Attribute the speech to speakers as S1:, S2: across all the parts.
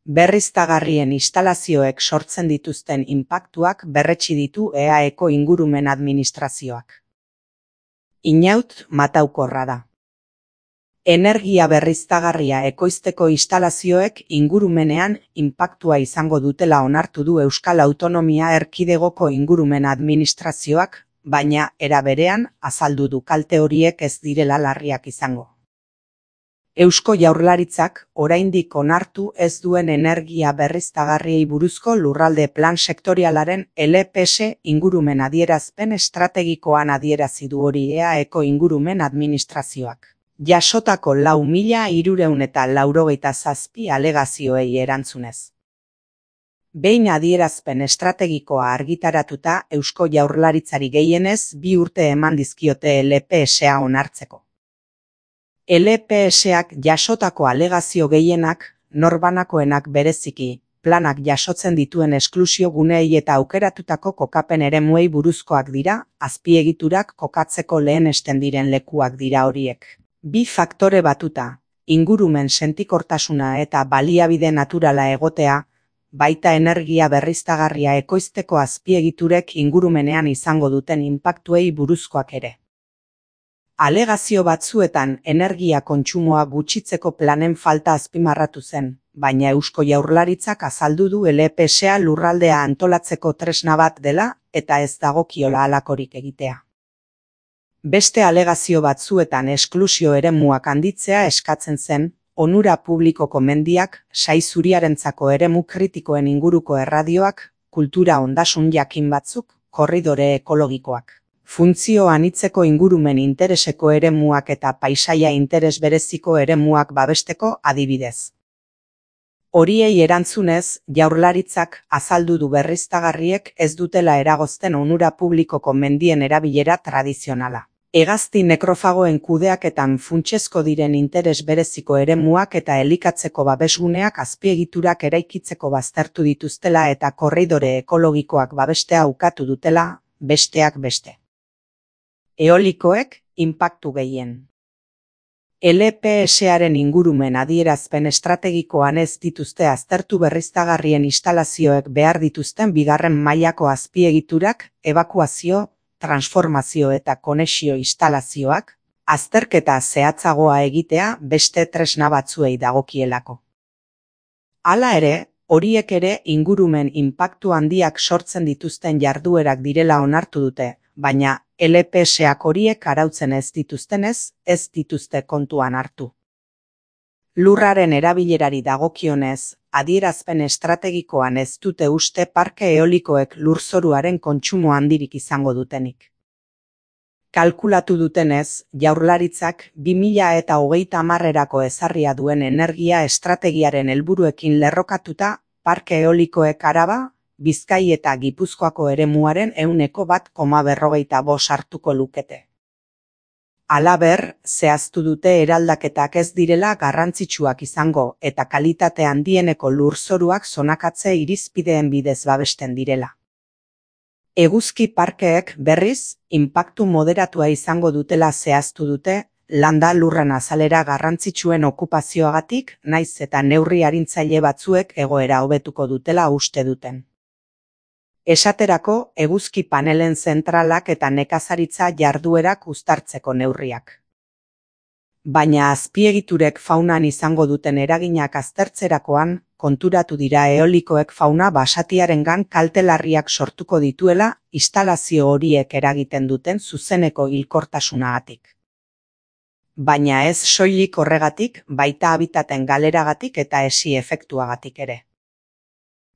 S1: Berriztagarrien instalazioek sortzen dituzten inpaktuak berretsi ditu EAEko ingurumen administrazioak. Inaut mataukorra da. Energia berriztagarria ekoizteko instalazioek ingurumenean inpaktua izango dutela onartu du Euskal Autonomia Erkidegoko ingurumen administrazioak, baina era berean azaldu du kalte horiek ez direla larriak izango. Eusko Jaurlaritzak oraindik onartu ez duen energia berriztagarriei buruzko lurralde plan sektorialaren LPS ingurumen adierazpen estrategikoan adierazi du hori EAEko ingurumen administrazioak. Jasotako 4.387 alegazioei erantzunez. Behin adierazpen estrategikoa argitaratuta Eusko Jaurlaritzari gehienez 2 urte eman dizkiote LPSa onartzeko. LPSak jasotako alegazio gehienak, norbanakoenak bereziki, planak jasotzen dituen esklusio guneei eta aukeratutako kokapen eremuei buruzkoak dira, azpiegiturak kokatzeko lehenesten diren lekuak dira horiek. 2 faktore batuta, ingurumen sentikortasuna eta baliabide naturala egotea, baita energia berriztagarria ekoizteko azpiegiturek ingurumenean izango duten inpaktuei buruzkoak ere. Alegazio batzuetan energia kontsumoa gutxitzeko planen falta azpimarratu zen, baina Eusko Jaurlaritzak azaldu du LPSa lurraldea antolatzeko tresna bat dela eta ez dagokiola halakorik egitea. Beste alegazio batzuetan esklusio eremuak handitzea eskatzen zen, onura publikoko mendiak, sai zuriarentzako eremu kritikoen inguruko erradioak, kultura ondasun jakin batzuk, korridore ekologikoak. Funtzio anitzeko ingurumen intereseko eremuak eta paisaia interes bereziko eremuak babesteko adibidez. Horiei erantzunez, Jaurlaritzak azaldu du berriztagarriek ez dutela eragozten onura publikoko mendien erabilera tradizionala. Hegazti nekrofagoen kudeaketan funtsezko diren interes bereziko eremuak eta elikatzeko babesguneak azpiegiturak eraikitzeko baztertu dituztela eta korridore ekologikoak babestea ukatu dutela, besteak beste. Eolikoek inpaktu gehien. LPSaren ingurumen adierazpen estrategikoan ez dituzte aztertu berriztagarrien instalazioek behar dituzten bigarren mailako azpiegiturak, ebakuazio, transformazio eta konexio instalazioak, azterketa zehatzagoa egitea beste tresna batzuei dagokielako. Hala ere, horiek ere ingurumen inpaktu handiak sortzen dituzten jarduerak direla onartu dute, baina LPSak horiek arautzen ez dituztenez, ez dituzte kontuan hartu. Lurraren erabilerari dagokionez, adierazpen estrategikoan ez dute uste parke eolikoek lurzoruaren kontsumo handirik izango dutenik. Kalkulatu dutenez, Jaurlaritzak 2030erako ezarria duen energia estrategiaren helburuekin lerrokatuta, parke eolikoek Araba, Bizkai eta Gipuzkoako eremuaren 1,45% hartuko lukete. Halaber, zehaztu dute eraldaketak ez direla garrantzitsuak izango eta kalitate handieneko lurzoruak zonakatze irizpideen bidez babesten direla. Eguzki parkeek berriz, inpaktu moderatua izango dutela zehaztu dute, landa lurren azalera garrantzitsuen okupazioagatik, naiz eta neurri arintzaile batzuek egoera hobetuko dutela uste duten. Esaterako, eguzki panelen zentralak eta nekazaritza jarduerak uztartzeko neurriak. Baina azpiegiturek faunan izango duten eraginak aztertzerakoan, konturatu dira eolikoek fauna basatiarengan kalte larriak sortuko dituela instalazio horiek eragiten duten zuzeneko hilkortasunagatik. Baina ez soilik horregatik, baita habitaten galeragatik eta esi efektuagatik ere.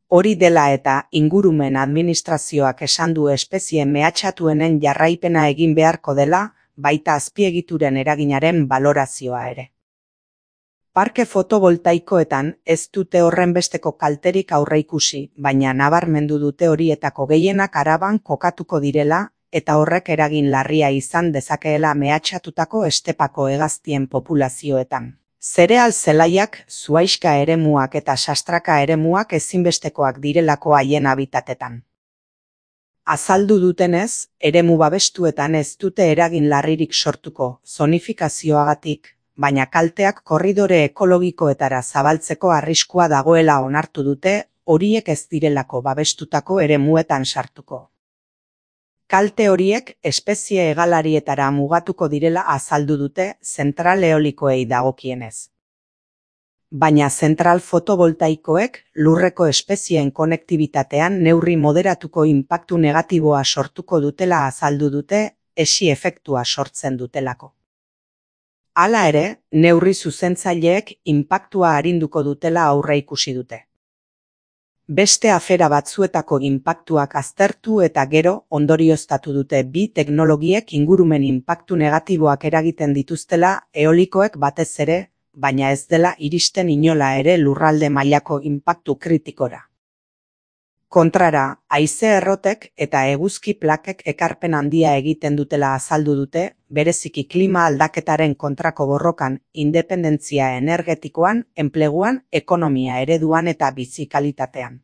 S1: Hori dela eta ingurumen administrazioak esan du espezie mehatxatuenen jarraipena egin beharko dela, baita azpiegituren eraginaren balorazioa ere. Parke fotovoltaikoetan ez dute horrenbesteko kalterik aurreikusi, baina nabarmendu dute horietako gehienak Araban kokatuko direla, eta horrek eragin larria izan dezakeela mehatxatutako estepako hegaztien populazioetan. Zereal zelaiak, zuhaixka eremuak eta sastraka eremuak ezinbestekoak direlako haien habitatetan. Azaldu dutenez, eremu babestuetan ez dute eragin larririk sortuko, zonifikazioagatik, baina kalteak korridore ekologikoetara zabaltzeko arriskua dagoela onartu dute, horiek ez direlako babestutako eremuetan sartuko. Kalte horiek espezie hegalarietara mugatuko direla azaldu dute zentral eolikoei dagokienez. Baina zentral fotovoltaikoek lurreko espezieen konektibitatean neurri moderatuko inpaktu negatiboa sortuko dutela azaldu dute, esi efektua sortzen dutelako. Hala ere, neurri zuzentzaileek inpaktua arinduko dutela aurreikusi dute. Beste afera batzuetako inpaktuak aztertu eta gero ondorioztatu dute bi teknologiek ingurumen inpaktu negatiboak eragiten dituztela eolikoek batez ere, baina ez dela iristen inola ere lurralde mailako inpaktu kritikora. Kontrara, haize errotek eta eguzki plakek ekarpen handia egiten dutela azaldu dute, bereziki klima aldaketaren kontrako borrokan, independentzia energetikoan, enpleguan, ekonomia ereduan eta bizi kalitatean.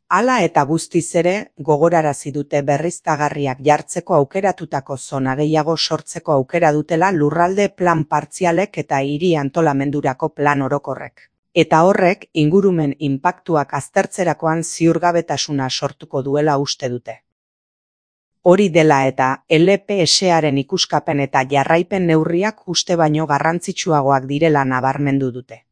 S1: Hala eta guztiz ere, gogorarazi dute berriztagarriak jartzeko aukeratutako zona gehiago sortzeko aukera dutela lurralde plan partzialek eta hiri antolamendurako plan orokorrek. Eta horrek, ingurumen inpaktuak aztertzerakoan ziurgabetasuna sortuko duela uste dute. Hori dela eta, LPS-aren ikuskapen eta jarraipen neurriak uste baino garrantzitsuagoak direla nabarmendu dute.